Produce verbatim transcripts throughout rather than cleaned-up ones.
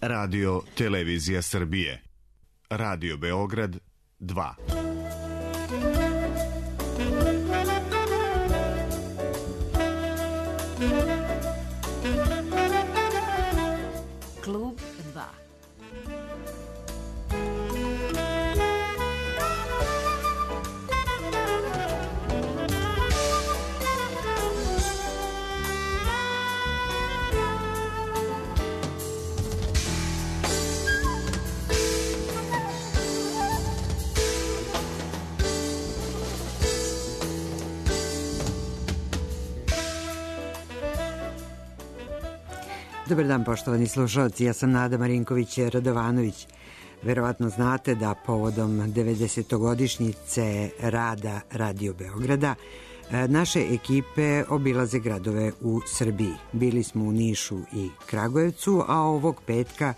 Radio Televizija Srbije. Radio Beograd dva. Klub dva. Dobar dan, poštovani slušalci, ja sam Nada Marinković-Radovanović. Verovatno znate da povodom devedesetogodišnjice rada Radio Beograda naše ekipe obilaze gradove u Srbiji. Bili smo u Nišu i Kragujevcu, a ovog petka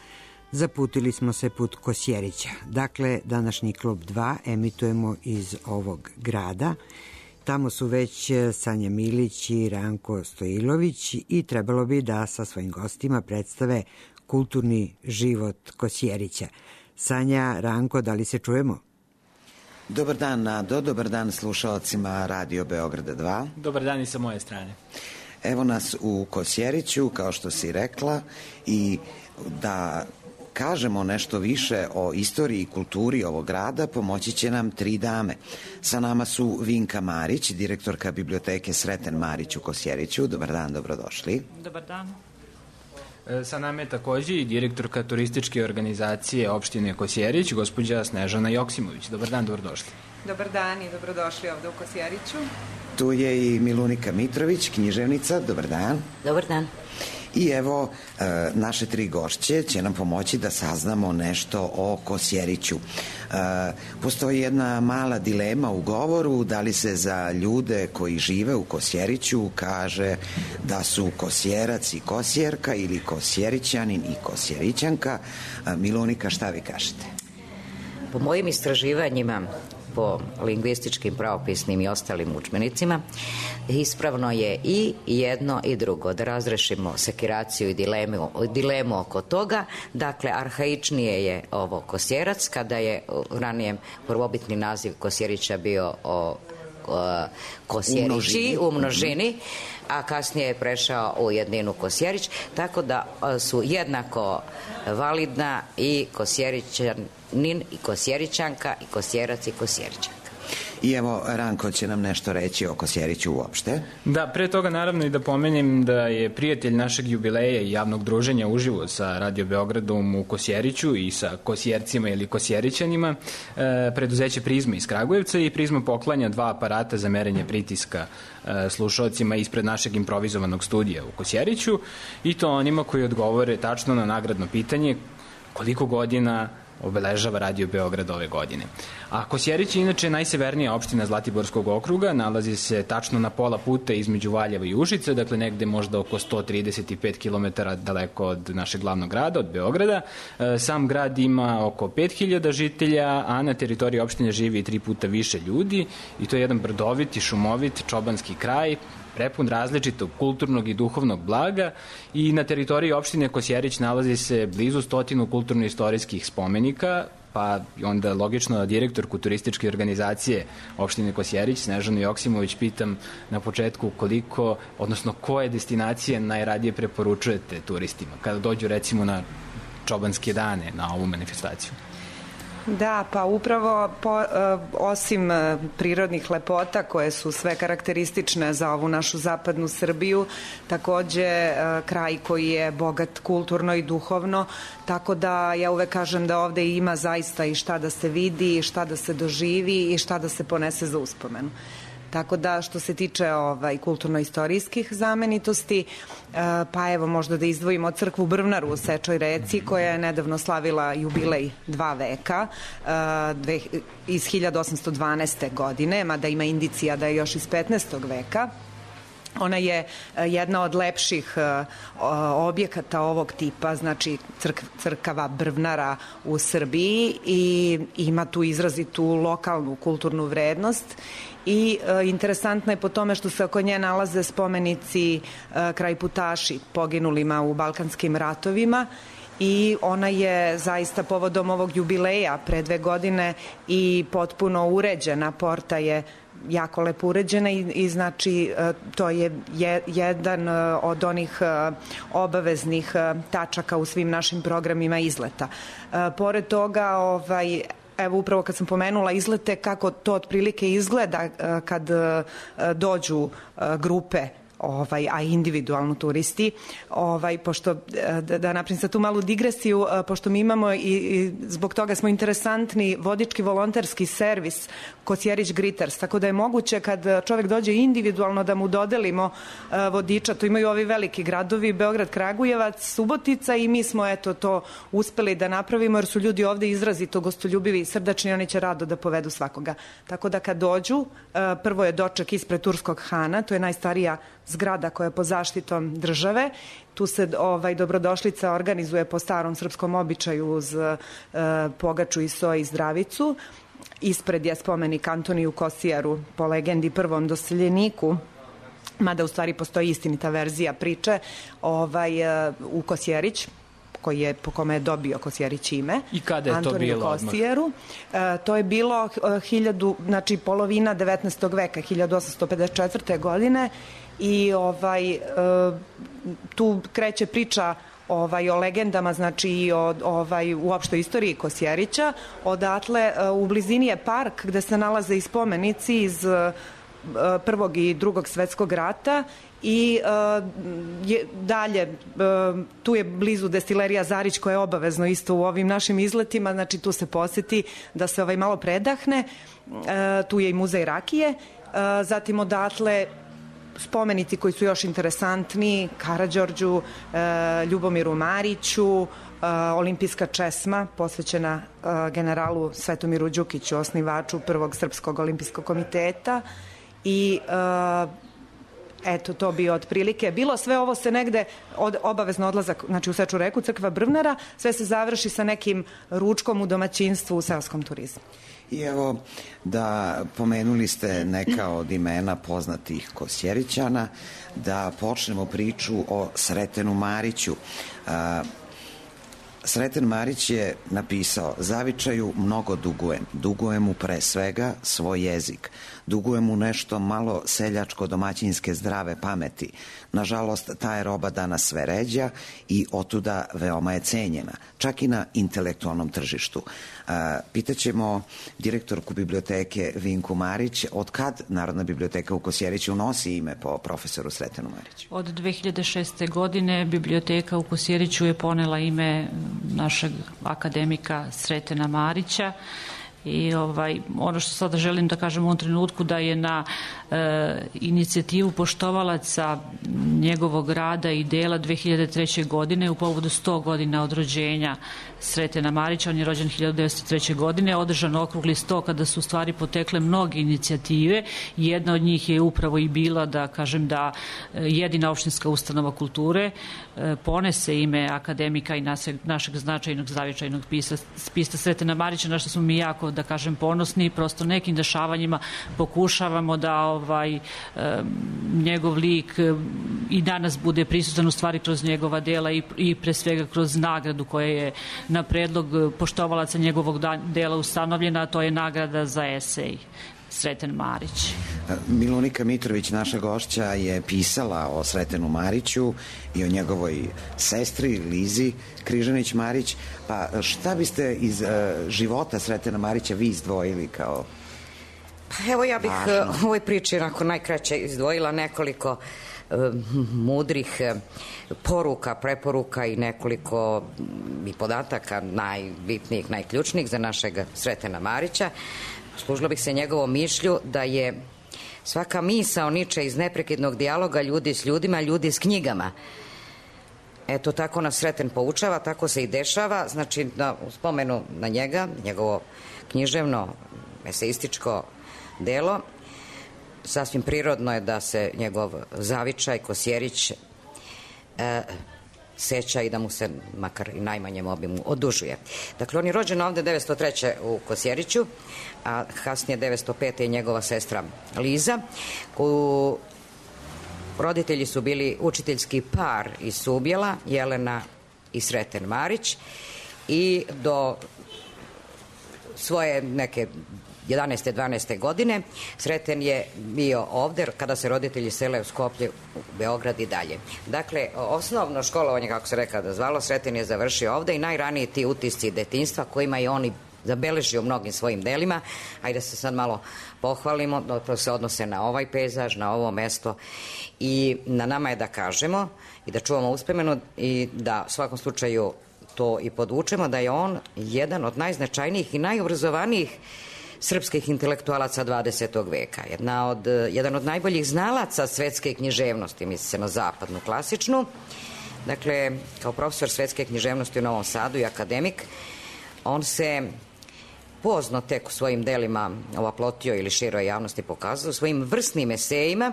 zaputili smo se put Kosjerića. Dakle, današnji Klub dva emitujemo iz ovog grada. Tamo su već Sanja Milić i Ranko Stojilović i trebalo bi da sa svojim gostima predstave kulturni život Kosjerića. Sanja, Ranko, da li se čujemo? Dobar dan, Nado, dobar dan slušalcima Radio Beograda dva. Dobar dan i sa moje strane. Evo nas u Kosjeriću, kao što si rekla, i da kažemo nešto više o istoriji i kulturi ovog grada, pomoći će nam tri dame. Sa nama su Vinka Marić, direktorka biblioteke Sreten Marić u Kosjeriću. Dobar dan, dobrodošli. Dobar dan. Sa nama je takođe i direktorka turističke organizacije opštine Kosjerić, gospođa Snežana Joksimović. Dobar dan, dobrodošli. Dobar dan i dobrodošli ovde u Kosjeriću. Tu je i Milunika Mitrović, književnica. Dobar dan. Dobar dan. I evo, e, naše tri gošće će nam pomoći da saznamo nešto o Kosjeriću. E, postoji jedna mala dilema u govoru, da li se za ljude koji žive u Kosjeriću kaže da su Kosjerac i Kosjerka ili Kosjerićanin i Kosjerićanka. E, Milunika, šta vi kažete? Po mojim istraživanjima, po lingvističkim, pravopisnim i ostalim udžbenicima, ispravno je i jedno i drugo, da razrešimo sekiraciju i dilemu, dilemu oko toga. Dakle, arhaičnije je ovo Kosjerac, kada je ranijem prvobitni naziv Kosjerića bio o, o Kosjerići u množini, a kasnije je prešao u jedninu Kosjerić, tako da su jednako validna i Kosjerićanin i Kosjerićanka i Kosjerac i Kosjerićanka. I evo, Ranko će nam nešto reći o Kosjeriću uopšte. Da, pre toga naravno i da pomenem da je prijatelj našeg jubileja i javnog druženja uživo sa Radio Beogradom u Kosjeriću i sa Kosjercima ili Kosjerićanima, e, preduzeće Prizma iz Kragujevca, i Prizma poklanja dva aparata za merenje pritiska e, slušalcima ispred našeg improvizovanog studija u Kosjeriću, i to onima koji odgovore tačno na nagradno pitanje koliko godina obeležava Radio Beograd ove godine. A Kosjerić je inače najsevernija opština Zlatiborskog okruga, nalazi se tačno na pola puta između Valjeva i Užica, dakle negde možda oko sto trideset pet kilometara daleko od našeg glavnog grada, od Beograda. Sam grad ima oko pet hiljada žitelja, a na teritoriji opštine živi tri puta više ljudi, i to je jedan brdovit i šumovit čobanski kraj, prepun različitog kulturnog i duhovnog blaga, i na teritoriji opštine Kosjerić nalazi se blizu stotinu kulturno-istorijskih spomenika, pa onda logično da direktorku turističke organizacije opštine Kosjerić, Snežanu Joksimović, pitam na početku koliko, odnosno koje destinacije najradije preporučujete turistima kada dođu recimo na čobanske dane na ovu manifestaciju. Da, pa upravo po, osim prirodnih lepota koje su sve karakteristične za ovu našu zapadnu Srbiju, takođe kraj koji je bogat kulturno i duhovno, tako da ja uvek kažem da ovde ima zaista i šta da se vidi, i šta da se doživi i šta da se ponese za uspomenu. Tako da što se tiče ovaj, kulturno-istorijskih znamenitosti, pa evo možda da izdvojimo crkvu Brvnaru u Sečoj reci, koja je nedavno slavila jubilej dva veka iz hiljadu osamsto dvanaeste. godine, mada ima indicija da je još iz petnaestog. veka. Ona je jedna od lepših objekata ovog tipa, znači crk, crkava Brvnara u Srbiji, i ima tu izrazitu lokalnu kulturnu vrednost. I e, interesantno je po tome što se oko nje nalaze spomenici e, krajputaši poginulima u Balkanskim ratovima, i ona je zaista povodom ovog jubileja pre dve godine i potpuno uređena. Porta je jako lepo uređena i, i znači to je, je jedan od onih obaveznih tačaka u svim našim programima izleta. Pored toga, ovaj, evo upravo kad sam pomenula izlete, kako to otprilike izgleda kad dođu grupe, ovaj, a individualno turisti, ovaj, pošto, da, da napravim sad tu malu digresiju, pošto mi imamo i, i zbog toga smo interesantni vodički volonterski servis Kosjerić Griters, tako da je moguće kad čovek dođe individualno da mu dodelimo vodiča, to imaju ovi veliki gradovi, Beograd, Kragujevac, Subotica, i mi smo eto to uspeli da napravimo jer su ljudi ovde izrazito gostoljubivi i srdačni, oni će rado da povedu svakoga. Tako da kad dođu, prvo je doček ispred Turskog hana, to je najstarija zgrada koja je pod zaštitom države. Tu se ovaj, dobrodošlica organizuje po starom srpskom običaju uz e, pogaču i so i zdravicu. Ispred je spomenik Antoniju Kosijaru, po legendi prvom doseljeniku, mada u stvari postoji istinita verzija priče, ovaj, e, u Kosjerić, koji je, po kome je dobio Kosjerić ime. I kada je Antoniju to bilo Kosijeru. E, to je bilo hiljadu, znači polovina devetnaestog veka, hiljadu osamsto pedeset četvrte. godine, i ovaj, e, tu kreće priča ovaj, o legendama, znači i o ovaj, uopštoj istoriji Kosjerića. Odatle e, u blizini je park gde se nalaze i spomenici iz e, Prvog i Drugog svetskog rata i e, je, dalje e, tu je blizu destilerija Zarić koja je obavezno isto u ovim našim izletima, znači tu se poseti da se ovaj malo predahne, e, tu je i muzej rakije, e, zatim odatle spomenici koji su još interesantni, Karađorđu, e, Ljubomiru Mariću, e, olimpijska česma posvećena e, generalu Svetomiru Đukiću, osnivaču prvog Srpskog olimpijskog komiteta, i e, eto, to bi otprilike bilo. Sve ovo se negde, od, obavezno odlazak, znači u Seču reku, crkva Brvnara, sve se završi sa nekim ručkom u domaćinstvu u seoskom turizmu. I evo, da pomenuli ste neka od imena poznatih Kosjerićana, da počnemo priču o Sretenu Mariću. A, Sreten Marić je napisao: zavičaju mnogo dugujem, dugujem mu pre svega svoj jezik, dugujem mu nešto malo seljačko domaćinske zdrave pameti. Nažalost, ta je roba danas sve ređa i otuda veoma je cenjena, čak i na intelektualnom tržištu. A, pitaćemo direktorku biblioteke Vinku Marić, od kad Narodna biblioteka u Kosjeriću nosi ime po profesoru Sretenu Mariću? Od dve hiljade šeste. godine biblioteka u Kosjeriću je ponela ime našeg akademika Sretena Marića. I ovaj, ono što sada želim da kažem u ovom trenutku, da je na e, inicijativu poštovalaca njegovog rada i dela dve hiljade treće. godine u povodu sto godina od rođenja Sretena Marića, on je rođen hiljadu devetsto treće. godine, održan okrugli sto kada su u stvari potekle mnoge inicijative. Jedna od njih je upravo i bila da kažem da jedina opštinska ustanova kulture e, ponese ime akademika i našeg, našeg značajnog zavičajnog pisa, pisa Sretena Marića, na što smo mi jako, da kažem, ponosni, i prosto nekim dešavanjima pokušavamo da ovaj e, njegov lik e, i danas bude prisutan u stvari kroz njegova dela i, i pre svega kroz nagradu koja je na predlog poštovalaca njegovog dela ustanovljena, a to je nagrada za esej Sreten Marić. Milunika Mitrović, naša gošća, je pisala o Sretenu Mariću i o njegovoj sestri Lizi Križanić Marić. Pa šta biste iz uh, života Sretena Marića vi izdvojili kao Pa evo, ja bih važno u ovoj priči onako najkraće izdvojila nekoliko uh, mudrih uh, poruka, preporuka i nekoliko i podataka najbitnijih, najključnijih za našeg Sretena Marića. Služila bih se njegovom mišlju da je svaka misao niče iz neprekidnog dijaloga ljudi s ljudima, ljudi s knjigama. Eto, tako nas Sreten poučava, tako se i dešava. Znači, na, u spomenu na njega, njegovo književno, eseističko delo, sasvim prirodno je da se njegov zavičaj, Kosjerić, e, seća i da mu se makar i najmanjem obimu odužuje. Dakle, on je rođen ovde devetsto treće. u Kosjeriću, a kasnije devetsto pete. je njegova sestra Liza, koju roditelji su bili učiteljski par iz Subjela, Jelena i Sreten Marić i do svoje neke jedanaeste dvanaeste godine Sreten je bio ovde kada se roditelji sele u Skoplje, u Beograd i dalje. Dakle, osnovno školovanje, kako se rekao da zvalo, Sreten je završio ovde i najraniji ti utisci detinjstva kojima je on i zabeležio mnogim svojim delima. Ajde se sad malo pohvalimo, to se odnose na ovaj pejzaž, na ovo mesto i na nama je da kažemo i da čuvamo uspomenu i da u svakom slučaju to i podvučemo da je on jedan od najznačajnijih i najobrazovanijih srpskih intelektualaca dvadesetog veka. Jedna od, jedan od najboljih znalaca svetske književnosti, misli se na zapadnu klasičnu. Dakle, kao profesor svetske književnosti u Novom Sadu i akademik, on se pozno tek u svojim delima ovaplotio ili široj javnosti pokazao, svojim vrsnim esejima,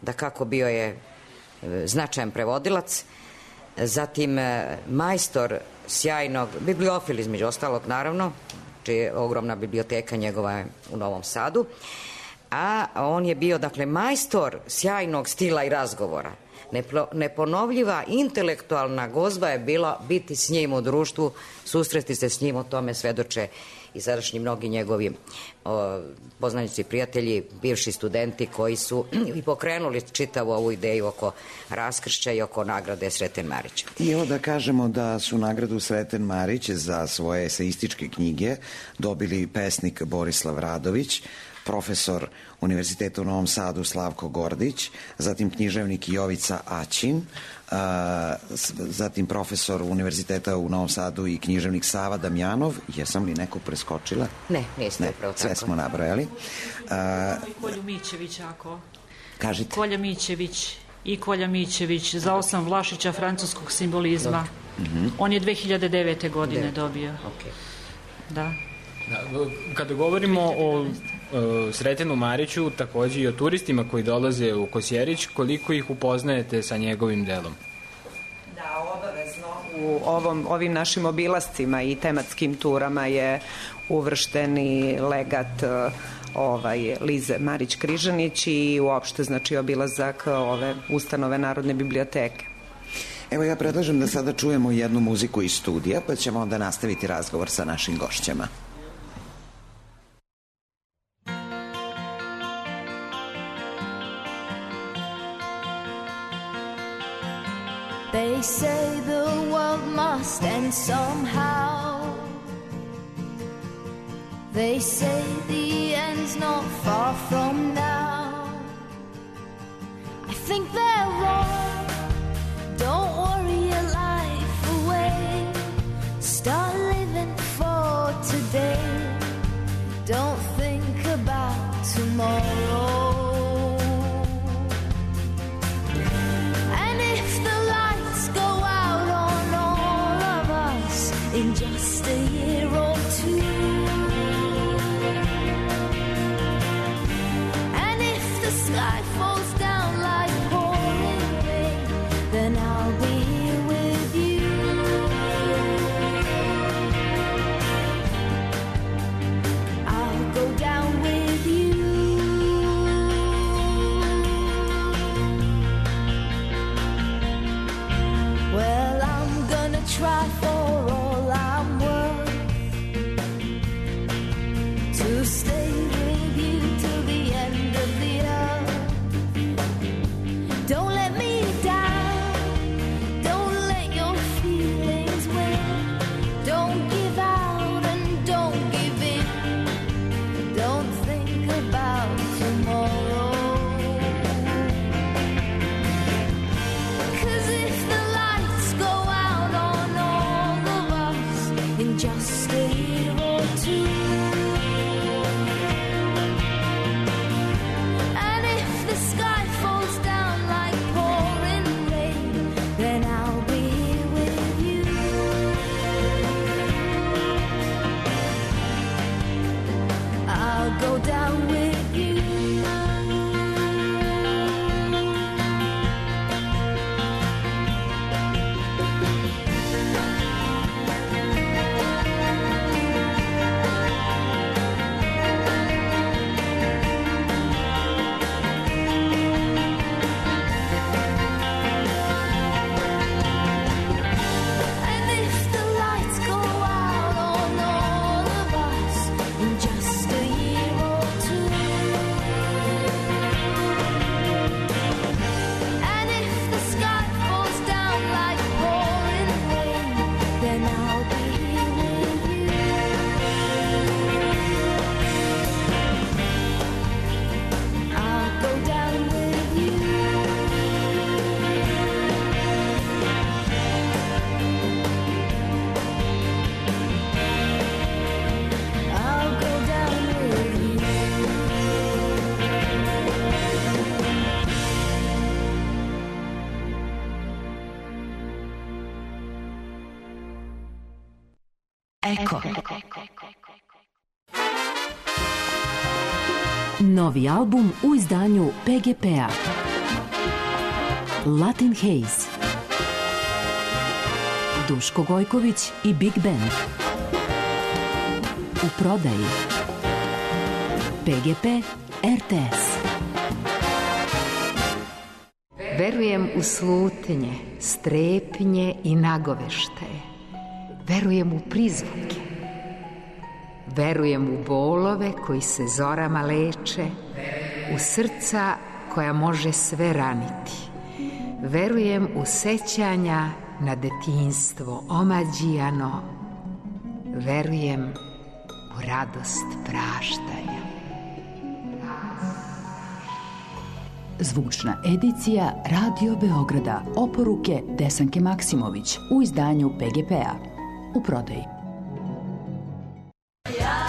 da kako bio je značajan prevodilac, zatim majstor sjajnog, bibliofil između ostalog naravno, čija je ogromna biblioteka njegova u Novom Sadu, a on je bio, dakle, majstor sjajnog stila i razgovora. Neponovljiva intelektualna gozba je bila biti s njim u društvu, susresti se s njim, o tome svedoče i sadašnji mnogi njegovi o, poznanici i prijatelji, bivši studenti koji su i pokrenuli čitavu ovu ideju oko raskršća i oko nagrade Sreten Marić. I evo da kažemo da su nagradu Sreten Marić za svoje eseističke knjige dobili pesnik Borislav Radović, profesor Univerziteta u Novom Sadu Slavko Gordić, zatim književnik Jovica Aćin, a, zatim profesor Univerziteta u Novom Sadu i književnik Sava Damjanov. Jesam li neko preskočila? Ne, niste upravo tako. Sve smo nabrojali. A, Kolju Mićević, ako... Kažite. Kolja Mićević i Kolja Mićević za osam Vlašića francuskog simbolizma. Mm-hmm. On je dve hiljade devete godine Devet. dobio. Okay. Da. Da, kada govorimo o, o Sretenu Mariću, takođe i o turistima koji dolaze u Kosjerić, koliko ih upoznajete sa njegovim delom? Da, obavezno. U ovom, ovim našim obilascima i tematskim turama je uvršteni legat ovaj, Lize Marić-Križanić i uopšte, znači, obilazak ove ustanove Narodne biblioteke. Evo, ja predlažem da sada čujemo jednu muziku iz studija, pa ćemo onda nastaviti razgovor sa našim gošćama. They say the world must end somehow. They say the end's not far from now. I think they're wrong. Don't worry your life away. Start living for today. Don't think about tomorrow. In just a year or two, and if the sky falls down like pouring rain, then I'll be here with you. I'll go down with you. Well, I'm gonna try for to stay with you till the end of the earth. Don't let me down. Don't let your feelings win. Don't give out and don't give in. Don't think about tomorrow. 'Cause if the lights go out on all of us in just a year or two, go down with you. Eko. Novi album u izdanju P G P-a. Latin Haze. Duško Gojković i Big Band. U prodaji. P G P R T S. Verujem u slutnje, strepnje i nagovešte. Verujem u prizvuke. Verujem u bolove koji se zorama leče, u srca koja može sve raniti. Verujem u sećanja na detinjstvo omađijano. Verujem u radost praštanja. Zvučna edicija Radio Beograda. Oporuke Desanke Maksimović u izdanju P G P-a. U prodaji. Ja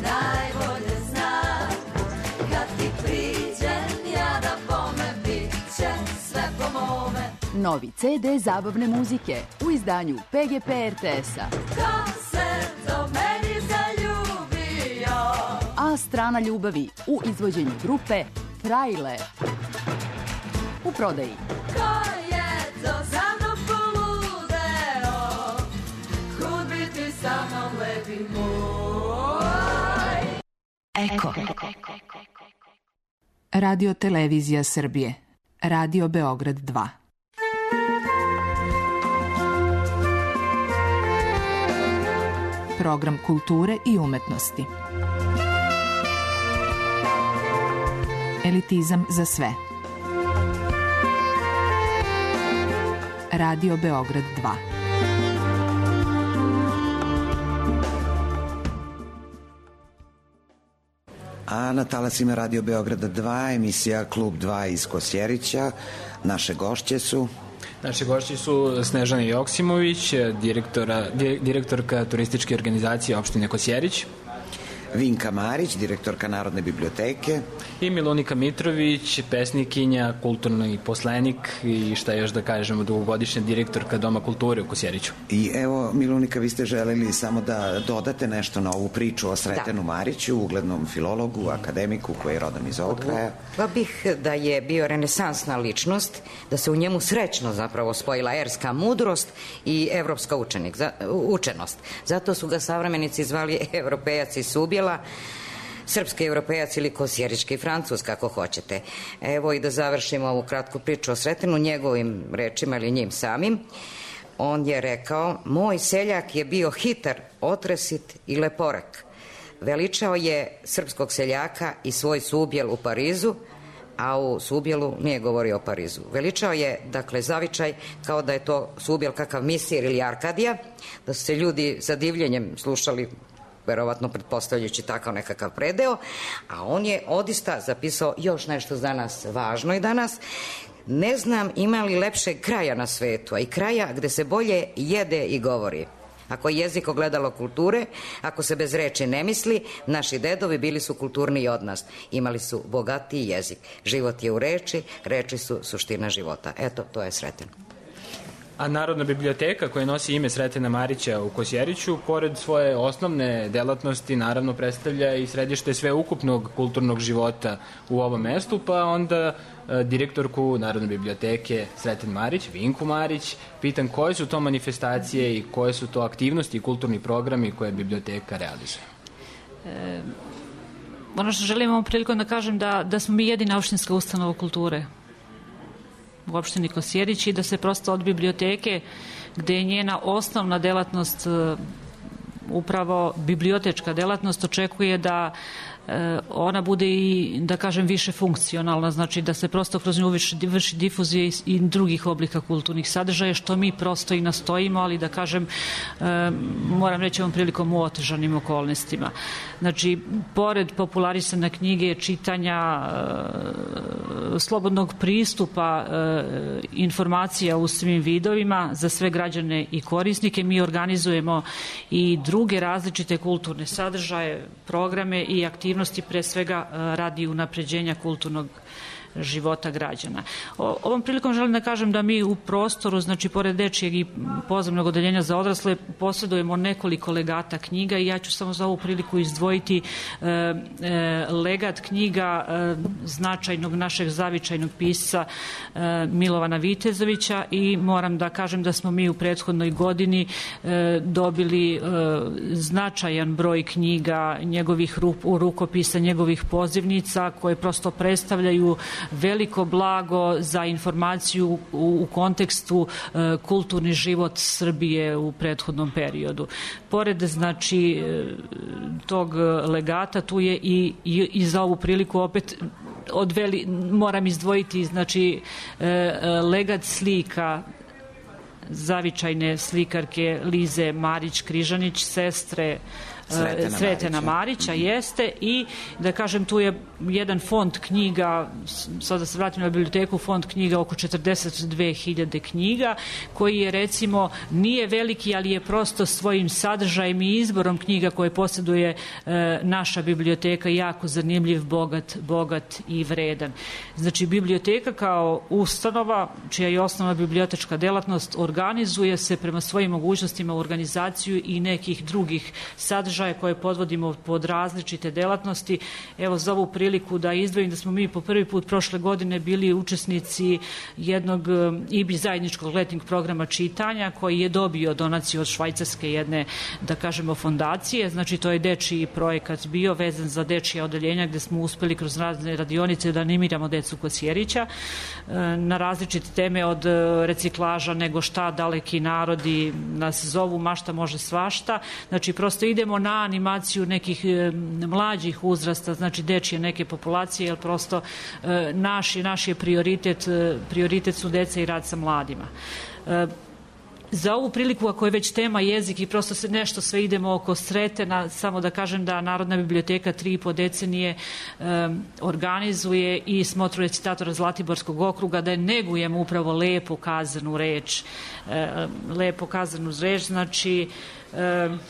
najbolje znam kad ti priđem ja da bome bit će sve po mome. Novi C D zabavne muzike u izdanju P G P R T S-a. Ko se do meni zaljubio? A strana ljubavi u izvođenju grupe Frajle. U prodaji. Ko je to za mnom poludeo? Kud bi ti sa mnom lepi moj? Eko. Radio Televizija Srbije. Radio Beograd dva. Program kulture i umetnosti. Elitizam za sve. Radio Beograd dva. A na talasima Radio Beograda dva, emisija Klub dva iz Kosjerića. Naše gošće su... Naše gošće su Snežana Joksimović, direktora, direktorka turističke organizacije opštine Kosjerić. Vinka Marić, direktorka Narodne biblioteke. I Milunika Mitrović, pesnikinja, kulturni poslenik i šta još da kažemo, dugogodišnja direktorka Doma kulture u Kosjeriću. I evo, Milunika, vi ste želeli samo da dodate nešto na ovu priču o Sretenu da. Mariću, uglednom filologu, akademiku koji je rodom iz ovog kraja. Pa bih da je bio renesansna ličnost, da se u njemu srećno zapravo spojila erska mudrost i evropska učenik, za, učenost. Zato su ga savremenici zvali evropejac iz Subjela, srpski europejac ili kosjerički Francuz, kako hoćete. Evo i da završimo ovu kratku priču o Sretenu njegovim rečima ili njim samim. On je rekao: moj seljak je bio hitar, otresit i leporek. Veličao je srpskog seljaka i svoj Subjel u Parizu, a u Subjelu nije govorio o Parizu. Veličao je, dakle, zavičaj kao da je to Subjel kakav Misir ili Arkadija, da su se ljudi sa divljenjem slušali, verovatno pretpostavljajući takav nekakav predeo, a on je odista zapisao još nešto za nas važno i danas. Ne znam ima li lepšeg kraja na svetu, a i kraja gde se bolje jede i govori. Ako je jezik ogledalo kulture, ako se bez reči ne misli, naši dedovi bili su kulturniji od nas. Imali su bogatiji jezik. Život je u reči, reči su suština života. Eto, to je Sreten. A Narodna biblioteka, koja nosi ime Sretena Marića u Kosjeriću, pored svoje osnovne delatnosti, naravno predstavlja i središte sveukupnog kulturnog života u ovom mestu, pa onda e, direktorku Narodne biblioteke Sreten Marić, Vinku Marić, pitam koje su to manifestacije i koje su to aktivnosti i kulturni programi koje biblioteka realizuje. E, ono što želim ovom prilikom da kažem da, da smo mi jedina opštinska ustanova kulture u opštini Kosjerić i da se prosto od biblioteke, gde je njena osnovna delatnost upravo bibliotečka delatnost, očekuje da ona bude i, da kažem, više funkcionalna, znači da se prosto kroz nju vrši difuzija i drugih oblika kulturnih sadržaja, što mi prosto i nastojimo, ali da kažem, moram reći ovom prilikom u otežanim okolnostima. Znači, pored popularisane knjige, čitanja, slobodnog pristupa informacija u svim vidovima za sve građane i korisnike, mi organizujemo i druge različite kulturne sadržaje, programe i aktivnosti, pre svega radi unapređenja kulturnog života građana. O, ovom prilikom želim da kažem da mi u prostoru, znači pored dečijeg i pozivnog odeljenja za odrasle, posjedujemo nekoliko legata knjiga i ja ću samo za ovu priliku izdvojiti e, e, legat knjiga e, značajnog našeg zavičajnog pisca e, Milovana Vitezovića i moram da kažem da smo mi u prethodnoj godini e, dobili e, značajan broj knjiga, njegovih rup, rukopisa, njegovih pozivnica koje prosto predstavljaju veliko blago za informaciju u, u kontekstu e, kulturni život Srbije u prethodnom periodu. Pored znači tog legata tu je i, i, i za ovu priliku opet odveli, moram izdvojiti znači legat slika zavičajne slikarke Lize Marić-Križanić, sestre Sretena, Sretena Marića, Marića jeste, i da kažem tu je jedan fond knjiga, sada se vratim na biblioteku, fond knjiga oko četrdeset dve hiljade knjiga, koji je recimo nije veliki, ali je prosto svojim sadržajem i izborom knjiga koje posjeduje e, naša biblioteka jako zanimljiv, bogat, bogat i vredan. Znači biblioteka kao ustanova, čija je osnovna bibliotečka delatnost, organizuje se prema svojim mogućnostima u organizaciju i nekih drugih sadržaja koje podvodimo pod različite delatnosti. Evo za ovu priliku da izdvojim da smo mi po prvi put prošle godine bili učesnici jednog I B I zajedničkog letnjeg programa čitanja koji je dobio donaciju od švajcarske jedne, da kažemo, fondacije. Znači to je dečiji projekat bio vezan za dečija odeljenja gde smo uspeli kroz razne radionice da animiramo decu Kosjerića na različite teme od reciklaža, nego šta, daleki narodi nas zovu, mašta može svašta. Znači prosto idemo na animaciju nekih e, mlađih uzrasta, znači dečije neke populacije, jer prosto e, naš, naš je prioritet, e, prioritet su deca i rad sa mladima. E, Za ovu priliku, ako je već tema jezik i prosto se nešto sve idemo oko Sretena, samo da kažem da Narodna biblioteka tri i po decenije um, organizuje i smotru recitatora Zlatiborskog okruga, da je negujemo upravo lepo kazanu reč. Um, lepo kazanu reč, znači... Um,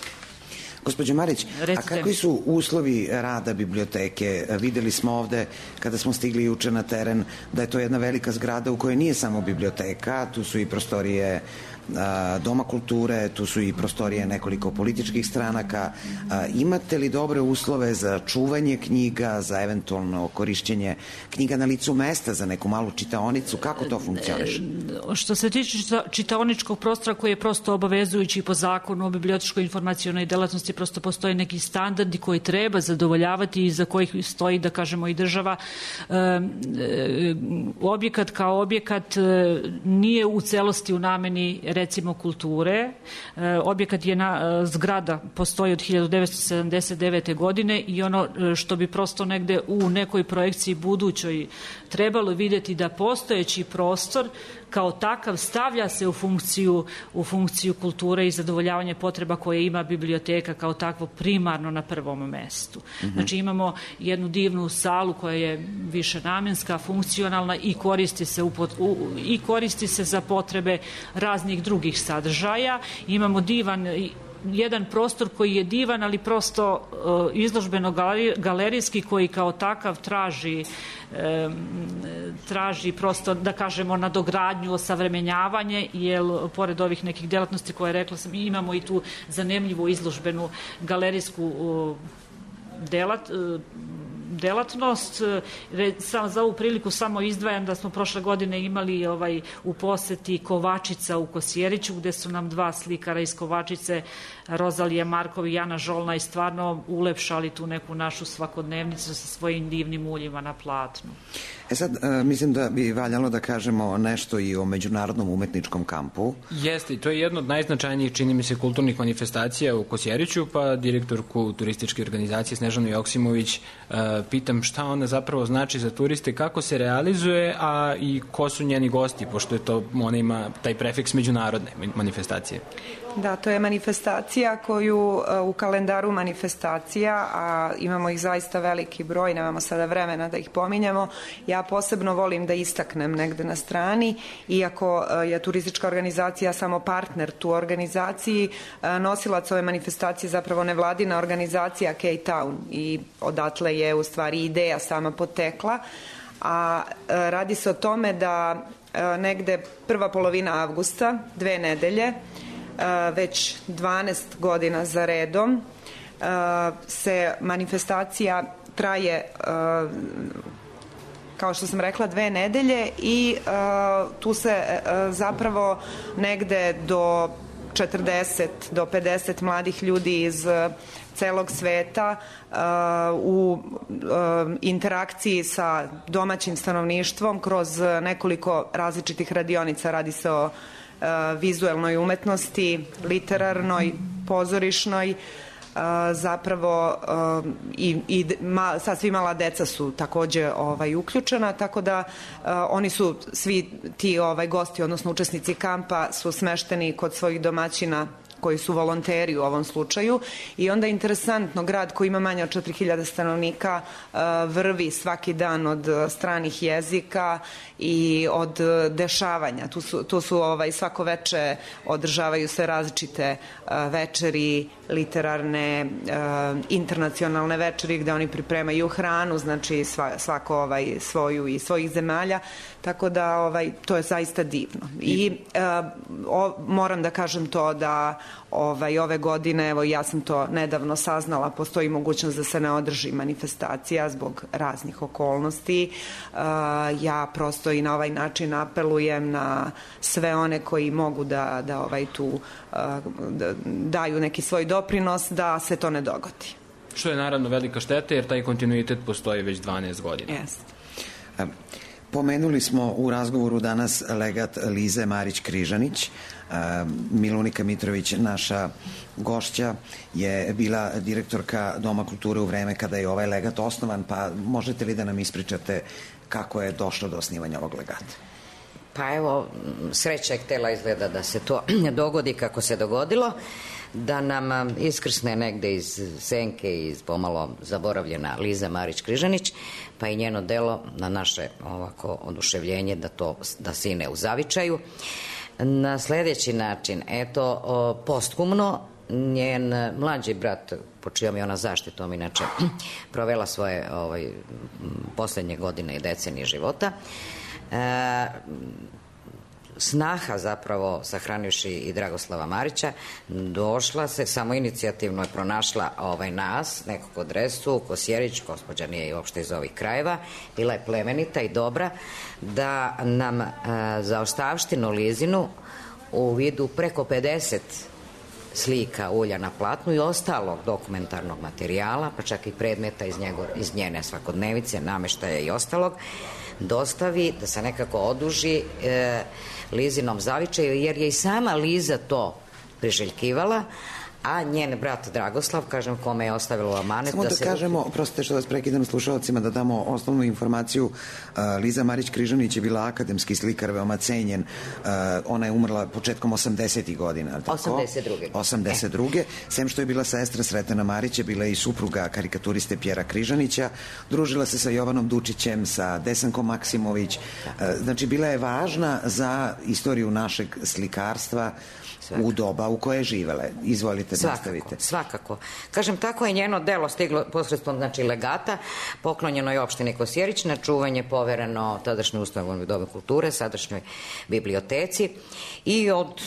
Gospođo Marić, a kakvi su uslovi rada biblioteke? Videli smo ovde, kada smo stigli juče na teren, da je to jedna velika zgrada u kojoj nije samo biblioteka, tu su i prostorije Doma kulture, tu su i prostorije nekoliko političkih stranaka. Imate li dobre uslove za čuvanje knjiga, za eventualno korišćenje knjiga na licu mesta, za neku malu čitaonicu? Kako to funkcioniše? Što se tiče čitaoničkog prostora koji je prosto obavezujući po zakonu o bibliotečkoj informacionoj delatnosti, prosto postoje neki standardi koji treba zadovoljavati i za kojih stoji, da kažemo, i država. Objekat kao objekat nije u celosti u nameni recimo kulture. E, objekat je na e, zgrada, postoji od hiljadu devetsto sedamdeset devete. godine i ono što bi prosto negde u nekoj projekciji budućoj trebalo vidjeti da postojeći prostor kao takav stavlja se u funkciju, u funkciju kulture i zadovoljavanje potreba koje ima biblioteka kao takvo primarno na prvom mestu. Mm-hmm. Znači imamo jednu divnu salu koja je više namenska, funkcionalna i koristi se, u, u, i koristi se za potrebe raznih drugih sadržaja. Imamo divan jedan prostor koji je divan, ali prosto uh, izložbeno galerijski koji kao takav traži um, traži prosto, da kažemo, nadogradnju, osavremenjavanje, jer pored ovih nekih delatnosti koje rekla sam, imamo i tu zanimljivu izložbenu galerijsku uh, delat, uh, delatnost. Sam za ovu priliku samo izdvajam da smo prošle godine imali ovaj u poseti Kovačica u Kosjeriću, gde su nam dva slikara iz Kovačice, Rozalija Markov i Jana Žolna, i stvarno ulepšali tu neku našu svakodnevnicu sa svojim divnim uljima na platnu. E sad, e, mislim da bi valjalo da kažemo nešto i o Međunarodnom umetničkom kampu. Jeste, i to je jedno od najznačajnijih, čini mi se, kulturnih manifestacija u Kosjeriću, pa direktorku turističke organizacije Snežanu Joksimović e, pitam šta ona zapravo znači za turiste, kako se realizuje, a i ko su njeni gosti, pošto je to, ona ima taj prefiks međunarodne manifestacije. Da, to je manifestacija koju u kalendaru manifestacija, a imamo ih zaista veliki broj, nemamo sada vremena da ih pominjamo. Ja posebno volim da istaknem negde na strani, iako je turistička organizacija samo partner tu organizaciji, nosilac ove manifestacije zapravo nevladina organizacija K-Town i odatle je u stvari ideja sama potekla. a radi se o tome da negde prva polovina avgusta, dve nedelje, već dvanaest godina za redom, se manifestacija traje, kao što sam rekla, dve nedelje i tu se zapravo negde do četrdeset do pedeset mladih ljudi iz celog sveta u interakciji sa domaćim stanovništvom kroz nekoliko različitih radionica. Radi se o vizuelnoj umetnosti, literarnoj, pozorišnoj, zapravo i, i ma, sasvim mala deca su takođe ovaj, uključena, tako da oni su svi ti ovaj, gosti, odnosno učesnici kampa su smešteni kod svojih domaćina koji su volonteri u ovom slučaju i onda interesantno, grad koji ima manje od četiri hiljade stanovnika vrvi svaki dan od stranih jezika i od dešavanja. Tu su, tu su ovaj, svako veče održavaju se različite večeri, literarne, internacionalne večeri gde oni pripremaju hranu, znači svako ovaj, svoju i svojih zemalja, tako da ovaj, to je zaista divno. I o, moram da kažem to da ovaj, ove godine, evo ja sam to nedavno saznala, postoji mogućnost da se ne održi manifestacija zbog raznih okolnosti. Ja prosto i na ovaj način apelujem na sve one koji mogu da, da ovaj, tu da daju neki svoj doprinos da se to ne dogodi. Što je naravno velika šteta jer taj kontinuitet postoji već dvanaest godina. Yes. Pomenuli smo u razgovoru danas legat Lize Marić-Križanić. Milunika Mitrović, naša gošća, je bila direktorka Doma kulture u vreme kada je ovaj legat osnovan, pa možete li da nam ispričate kako je došlo do osnivanja ovog legata? Pa evo, sreća je htela izgleda da se to dogodi kako se dogodilo, da nam iskrsne negde iz senke, iz pomalo zaboravljena Liza Marić-Križanić, pa i njeno delo na naše ovako oduševljenje da to da sine u zavičaju. Na sledeći način, eto, posthumno, njen mlađi brat, po čijom je ona zaštitom inače provela svoje ovaj, poslednje godine i decenije života, e, snaha zapravo, sahranivši i Dragoslava Marića, došla se, samo inicijativno je pronašla ovaj nas, nekog od Resu, Kosjerić, gospođa nije i uopšte iz ovih krajeva, bila je plemenita i dobra, da nam e, za ostavštinu Lizinu u vidu preko pedeset slika ulja na platnu i ostalog dokumentarnog materijala, pa čak i predmeta iz, njego, iz njene svakodnevice, nameštaja i ostalog, dostavi, da se nekako oduži e, Lizinom zavičaju, jer je i sama Liza to priželjkivala, a njen brat Dragoslav, kažem, kome je ostavilo amanet. Samo da, da se... kažemo, prostite što vas prekidam slušalcima, da damo osnovnu informaciju. Uh, Liza Marić-Križanić je bila akademski slikar, veoma cenjen. Uh, ona je umrla početkom osamdesetih godina. osamdeset druge osamdeset druge E. Sem što je bila sestra Sretena Marića, bila je i supruga karikaturiste Pjera Križanića. Družila se sa Jovanom Dučićem, sa Desankom Maksimović. Uh, znači, bila je važna za istoriju našeg slikarstva, svakako, u doba u koje je živele. Izvolite, svakako, nastavite. Svakako. Kažem, tako je njeno delo stiglo posredstvom, znači, legata, poklonjeno je opštini Kosjerić, na čuvanje povereno tadašnjoj ustanovi Doma kulture, sadašnjoj biblioteci i od,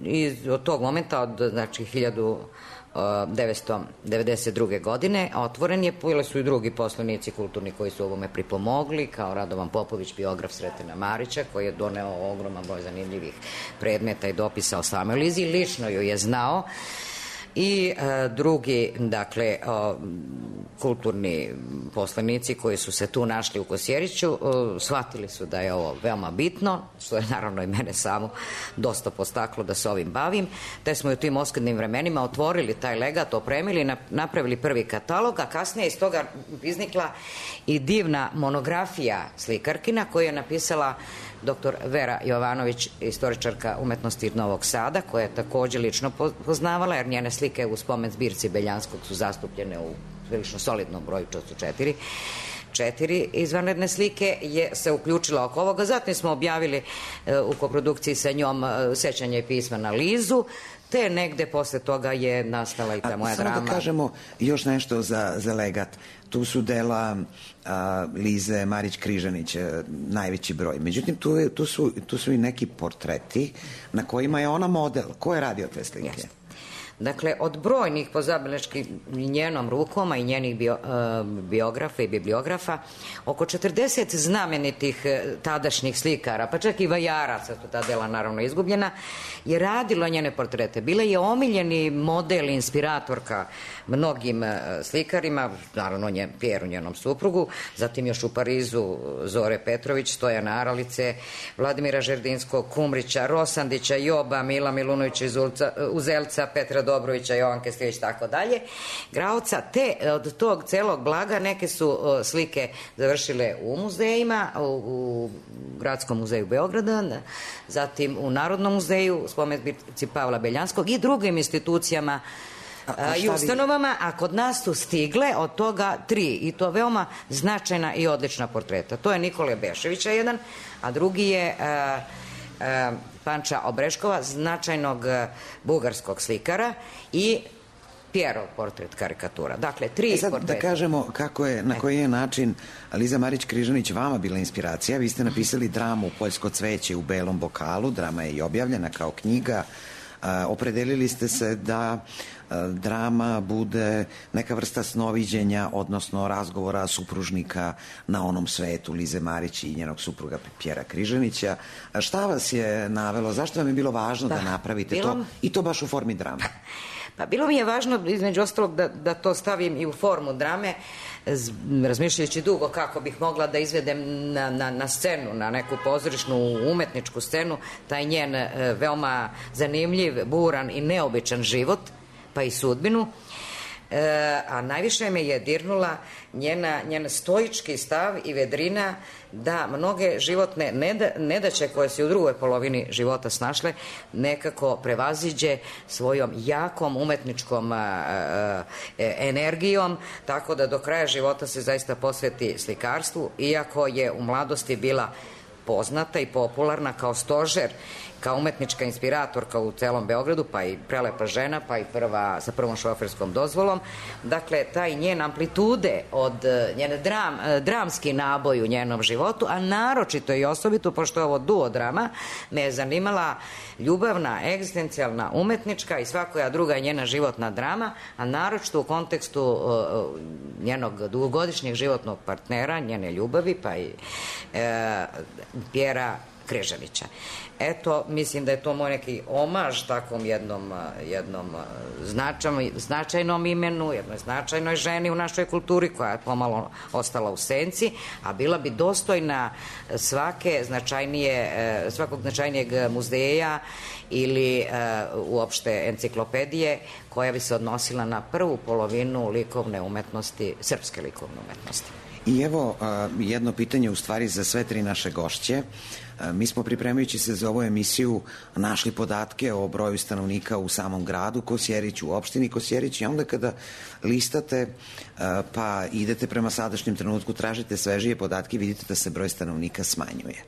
iz, od tog momenta, od, znači, hiljadu devetsto devedeset druge godine otvoren je, bili su i drugi poslanici kulturni koji su ovome pripomogli, kao Radovan Popović, biograf Sretena Marića, koji je doneo ogroman broj zanimljivih predmeta i dopisa o samoj Lizi, lično ju je znao, i e, drugi, dakle, o, kulturni poslanici koji su se tu našli u Kosjeriću, e, shvatili su da je ovo veoma bitno, što je naravno i mene samo dosta postaklo da se ovim bavim, te smo u tim oskudnim vremenima otvorili taj legat, opremili, napravili prvi katalog, a kasnije iz toga iznikla i divna monografija slikarkina koju je napisala doktor Vera Jovanović, istoričarka umetnosti iz Novog Sada, koja je takođe lično poznavala, jer njene slike u spomen zbirci Beljanskog su zastupljene u prilično solidnom broju, to su četiri četiri izvanredne slike je se uključila oko ovoga. Zatim smo objavili u koprodukciji sa njom Sećanje i pisma na Lizu, te negde posle toga je nastala i ta a, moja samo drama. Samo da kažemo još nešto za, za legat. Tu su dela a, Lize Marić-Križanić, a, najveći broj. Međutim, tu, je, tu, su, tu su i neki portreti na kojima je ona model. Ko je radio te slike? Jeste. Dakle, od brojnih pozabeleški njenom rukom, a i njenih bio, uh, biografa i bibliografa, oko četrdeset znamenitih tadašnjih slikara, pa čak i vajaraca, su ta dela naravno izgubljena, je radilo njene portrete. Bila je omiljeni model, inspiratorka mnogim uh, slikarima, naravno njen, Pjeru, njenom suprugu, zatim još u Parizu Zore Petrović, Stojana Aralice, Vladimira Žerdinskog, Kumrića, Rosandića, Joba, Mila Milunovića iz Ulca, Uzelca, Petra Dobrovića, Jovanke Stivić, tako dalje, Graoca, te od tog celog blaga neke su uh, slike završile u muzejima, u, u Gradskom muzeju Beograda, zatim u Narodnom muzeju, spomenci Pavla Beljanskog i drugim institucijama a, a i ustanovama, a kod nas su stigle od toga tri, i to veoma značajna i odlična portreta. To je Nikole Beševića jedan, a drugi je uh, uh, Panča Obreškova, značajnog bugarskog slikara, i Pjerov portret karikatura. Dakle, tri e sad, portreta. Da kažemo kako je, na koji je način Liza Marić-Križanić vama bila inspiracija. Vi ste napisali dramu Poljsko cveće u belom bokalu, drama je i objavljena kao knjiga. A, opredelili ste se da a, drama bude neka vrsta snoviđenja, odnosno razgovora supružnika na onom svetu Lize Marić i njenog supruga Pjera Križanića. A šta vas je navelo? Zašto vam je bilo važno da, da napravite bilo... to? I to baš u formi drame? Pa bilo mi je važno, između ostalog, da, da to stavim i u formu drame, razmišljajući dugo kako bih mogla da izvedem na, na, na scenu, na neku pozorišnu umetničku scenu, taj njen e, veoma zanimljiv, buran i neobičan život, pa i sudbinu. E, a najviše me je dirnula njena, njen stoički stav i vedrina da mnoge životne neda, nedaće koje se u drugoj polovini života snašle nekako prevaziđe svojom jakom umetničkom a, a, energijom, tako da do kraja života se zaista posveti slikarstvu, iako je u mladosti bila poznata i popularna kao stožer, kao umetnička inspiratorka u celom Beogradu, pa i prelepa žena, pa i prva sa prvom šoferskom dozvolom. Dakle, taj njen amplitude od njene dram, dramski naboj u njenom životu, a naročito i osobito, pošto je ovo duo drama, me je zanimala ljubavna, egzistencijalna, umetnička i svakoja druga njena životna drama, a naročito u kontekstu uh, njenog dugogodišnjeg životnog partnera, njene ljubavi, pa i uh, Pjera Križanića. Eto, mislim da je to moj neki omaž takvom jednom, jednom značajnom, značajnom imenu, jednoj značajnoj ženi u našoj kulturi koja je pomalo ostala u senci, a bila bi dostojna svake značajnije, svakog značajnijeg muzeja ili uh, uopšte enciklopedije koja bi se odnosila na prvu polovinu likovne umetnosti, srpske likovne umetnosti. I evo jedno pitanje u stvari za sve tri naše gošće. Mi smo pripremajući se za ovu emisiju našli podatke o broju stanovnika u samom gradu Kosjerić, u opštini Kosjerić, i onda kada listate pa idete prema sadašnjem trenutku, tražite svežije podatke, vidite da se broj stanovnika smanjuje.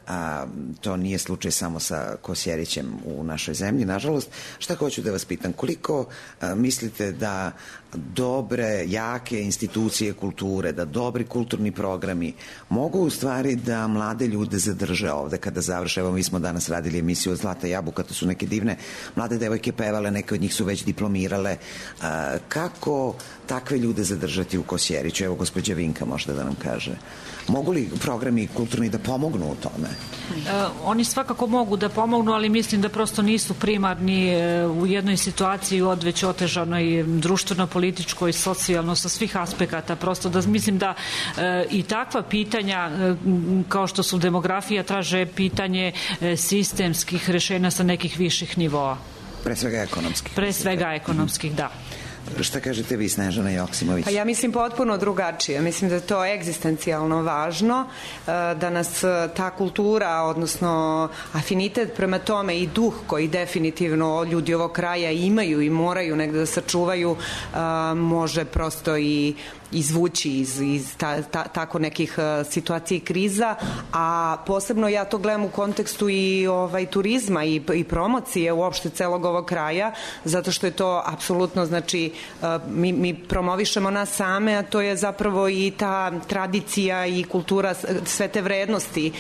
A, to nije slučaj samo sa Kosjerićem u našoj zemlji, nažalost. Šta hoću da vas pitam, koliko a, mislite da dobre, jake institucije kulture, da dobri kulturni programi mogu u stvari da mlade ljude zadrže ovde kada završe? Evo, mi smo danas radili emisiju od Zlata jabuka, to su neke divne mlade devojke pevale, neke od njih su već diplomirale. A, kako takve ljude zadržati u Kosjeriću? Evo, gospođa Vinka možda da nam kaže. Mogu li programi kulturni da pomognu u tome? E, oni svakako mogu da pomognu, ali mislim da prosto nisu primarni e, u jednoj situaciji odveć otežanoj društveno-političkoj, socijalno, sa svih aspekata. Prosto da mislim da e, i takva pitanja e, kao što su demografija traže pitanje e, sistemskih rešenja sa nekih viših nivoa. Pre svega ekonomskih. Pre svega ekonomskih, da. Šta kažete vi, Snežana Joksimović? Pa ja mislim potpuno drugačije. Mislim da je to egzistencijalno važno, da nas ta kultura, odnosno afinitet prema tome i duh koji definitivno ljudi ovog kraja imaju i moraju negde da sačuvaju, može prosto i izvući iz, iz ta, ta, tako nekih situacija i kriza, a posebno ja to gledam u kontekstu i ovaj, turizma i, i promocije uopšte celog ovog kraja, zato što je to apsolutno, znači, mi, mi promovišemo nas same, a to je zapravo i ta tradicija i kultura, sve te vrednosti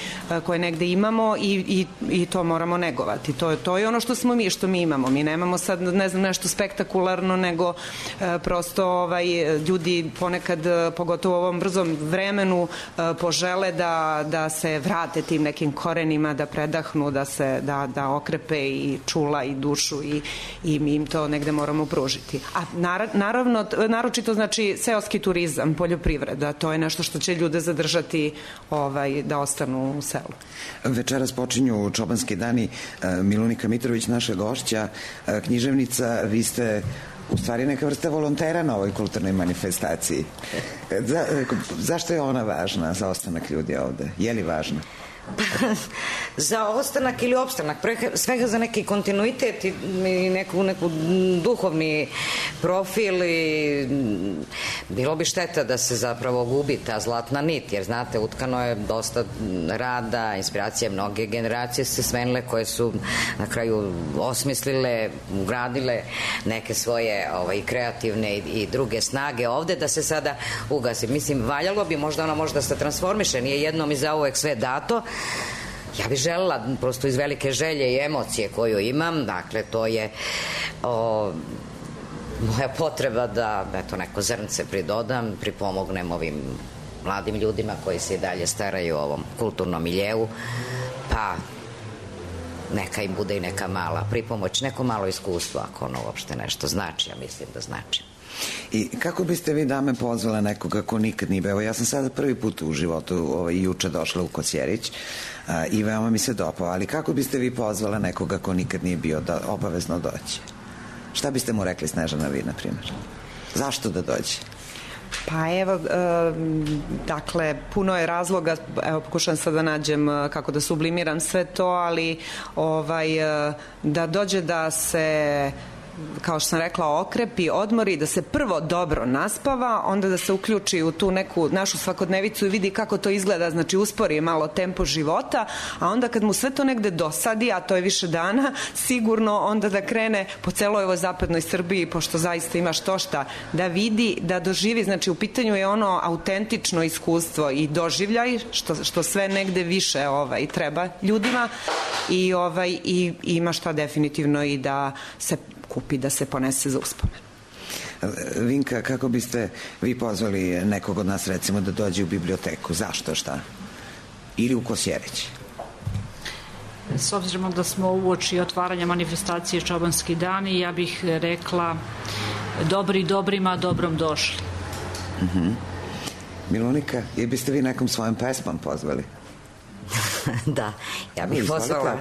koje negde imamo i, i, i to moramo negovati. To, to je ono što smo mi, što mi imamo. Mi nemamo sad, ne znam, nešto spektakularno, nego e, prosto ovaj, ljudi ponekad, pogotovo u ovom brzom vremenu, e, požele da, da se vrate tim nekim korenima, da predahnu, da se da, da okrepe i čula i dušu i, i mi im to negde moramo pružiti. A naravno, naročito, znači, seoski turizam, poljoprivreda, to je nešto što će ljude zadržati, ovaj, da ostanu u selu. Večeras počinju Čobanski dani. Milunika Mitrović, naša gošća, književnica, vi ste u stvari neka vrsta volontera na ovoj kulturnoj manifestaciji. Za, zašto je ona važna za ostanak ljudi ovde? Je li važna? Za ostanak ili opstanak, pre svega za neki kontinuitet i neku, neku duhovni profil i bilo bi šteta da se zapravo gubi ta zlatna nit, jer znate, utkano je dosta rada, inspiracije, mnoge generacije se smenile koje su na kraju osmislile, ugradile neke svoje ovaj, kreativne i, i druge snage ovde, da se sada ugasi. Mislim, valjalo bi, možda ona možda se transformiše, nije jednom i zauvek sve dato. Ja bih želela, prosto iz velike želje i emocije koju imam, dakle, to je o, moja potreba da, eto, neko zrnce pridodam, pripomognem ovim mladim ljudima koji se i dalje staraju o ovom kulturnom miljevu, pa neka im bude i neka mala pripomoć, neko malo iskustvo, ako ono uopšte nešto znači, ja mislim da znači. I kako biste vi, dame, pozvala nekoga ko nikad nije bio? Evo, ja sam sada prvi put u životu ovaj, juče došla u Kosjerić a, i veoma mi se dopao, ali kako biste vi pozvala nekoga ko nikad nije bio da obavezno dođe? Šta biste mu rekli, Snežana, vi, na primjer? Zašto da dođe? Pa evo, e, dakle, puno je razloga, evo, pokušam sad da nađem kako da sublimiram sve to, ali ovaj, da dođe da se, kao što sam rekla, okrepi, odmori, da se prvo dobro naspava, onda da se uključi u tu neku našu svakodnevicu i vidi kako to izgleda, znači uspori malo tempo života, a onda kad mu sve to negde dosadi, a to je više dana, sigurno onda da krene po celoj ovoj zapadnoj Srbiji, pošto zaista ima što šta, da vidi, da doživi, znači u pitanju je ono autentično iskustvo i doživljaj, što, što sve negde više ovaj, treba ljudima i, ovaj, i, i ima šta definitivno i da se kupi, da se ponese za uspomen. Vinka, kako biste vi pozvali nekog od nas, recimo, da dođe u biblioteku? Zašto, šta? Ili u Kosjerić? S obzirom da smo uoči otvaranja manifestacije Čobanski dani, ja bih rekla dobri dobrima, dobrom došli. Uh-huh. Milunika, i biste vi nekom svojom pesmom pozvali? Da, ja bih pozvala,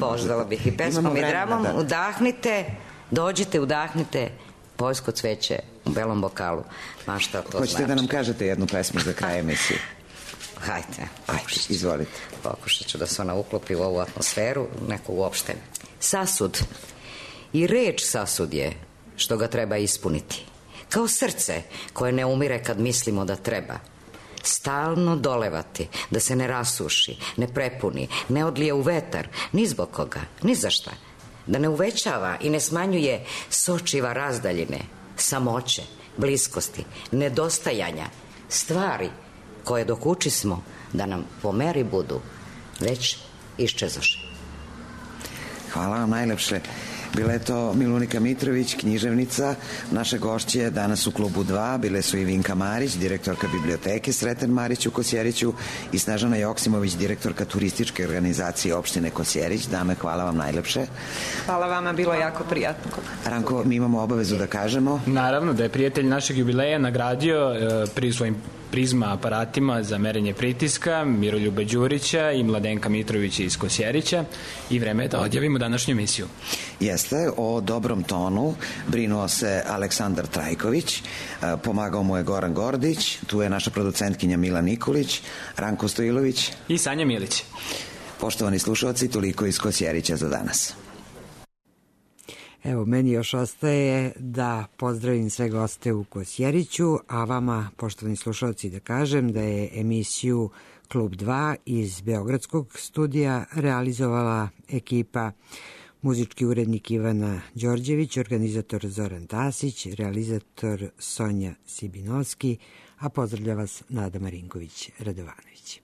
pozvala bih i pesmom i dramom. Da. Udahnite, dođite, udahnite poljsko cveće u belom bokalu. Ma šta to Hoćete znači? Da nam kažete jednu pesmu za kraj emisije? Hajde, Ajde, izvolite. Pokušat ću da se ona uklopi u ovu atmosferu, neko uopšte. Sasud. I reč sasud je što ga treba ispuniti. Kao srce koje ne umire kad mislimo da treba. Stalno dolevati, da se ne rasuši, ne prepuni, ne odlije u vetar, ni zbog koga, ni za šta. Da ne uvećava i ne smanjuje sočiva razdaljine, samoće, bliskosti, nedostajanja, stvari koje dok učismo da nam po meri budu, već iščezoše. Hvala vam najlepše. Bila je to Milunika Mitrović, književnica. Naše gošće danas u klubu dva bile su i Vinka Marić, direktorka biblioteke Sreten Marić u Kosjeriću, i Snežana Joksimović, direktorka turističke organizacije opštine Kosjerić. Dame, hvala vam najlepše. Hvala vama, bilo jako prijatno. Ranko, mi imamo obavezu da kažemo. Naravno, da je prijatelj našeg jubileja nagradio e, pri svojim prizma aparatima za merenje pritiska Miroljuba Đurića i Mladenka Mitrovića iz Kosjerića, i vreme je da odjavimo današnju emisiju. Jeste, o dobrom tonu brinuo se Aleksandar Trajković, pomagao mu je Goran Gordić, tu je naša producentkinja Mila Nikolić, Ranko Stojilović i Sanja Milić. Poštovani slušalci, toliko iz Kosjerića za danas. Evo, meni još ostaje da pozdravim sve goste u Kosjeriću, a vama, poštovani slušalci, da kažem da je emisiju Klub dva iz Beogradskog studija realizovala ekipa muzički urednik Ivana Đorđević, organizator Zoran Tasić, realizator Sonja Sibinovski, a pozdravlja vas Nada Marinković-Radovanović.